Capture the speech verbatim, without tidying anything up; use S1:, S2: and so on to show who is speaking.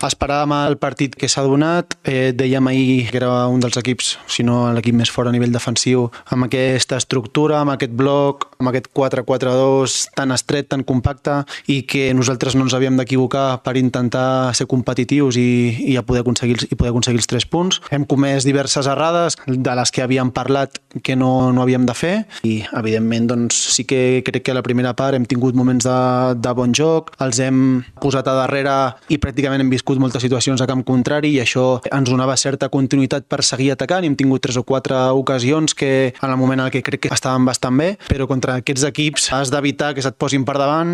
S1: Esperàvem el partit que s'ha donat, eh, dèiem ahir que era un dels equips, si no l'equip més fort a nivell defensiu, amb aquesta estructura, amb aquest bloc, amb aquest quatre quatre dos tan estret, tan compacte, i que nosaltres no ens havíem d'equivocar per intentar ser competitius i, i a poder aconseguir, i poder aconseguir els tres punts. Hem comès diverses errades de les que havíem parlat que no, no havíem de fer i, evidentment, doncs, sí que crec que a la primera part hem tingut moments de, de bon joc, els hem posat a darrere i pràcticament hem viscut moltes situacions a camp contrari i això ens donava certa continuïtat per seguir atacant i hem tingut tres o quatre ocasions que en el moment en què crec que estaven bastant bé, però contra aquests equips has d'evitar que se't posin per davant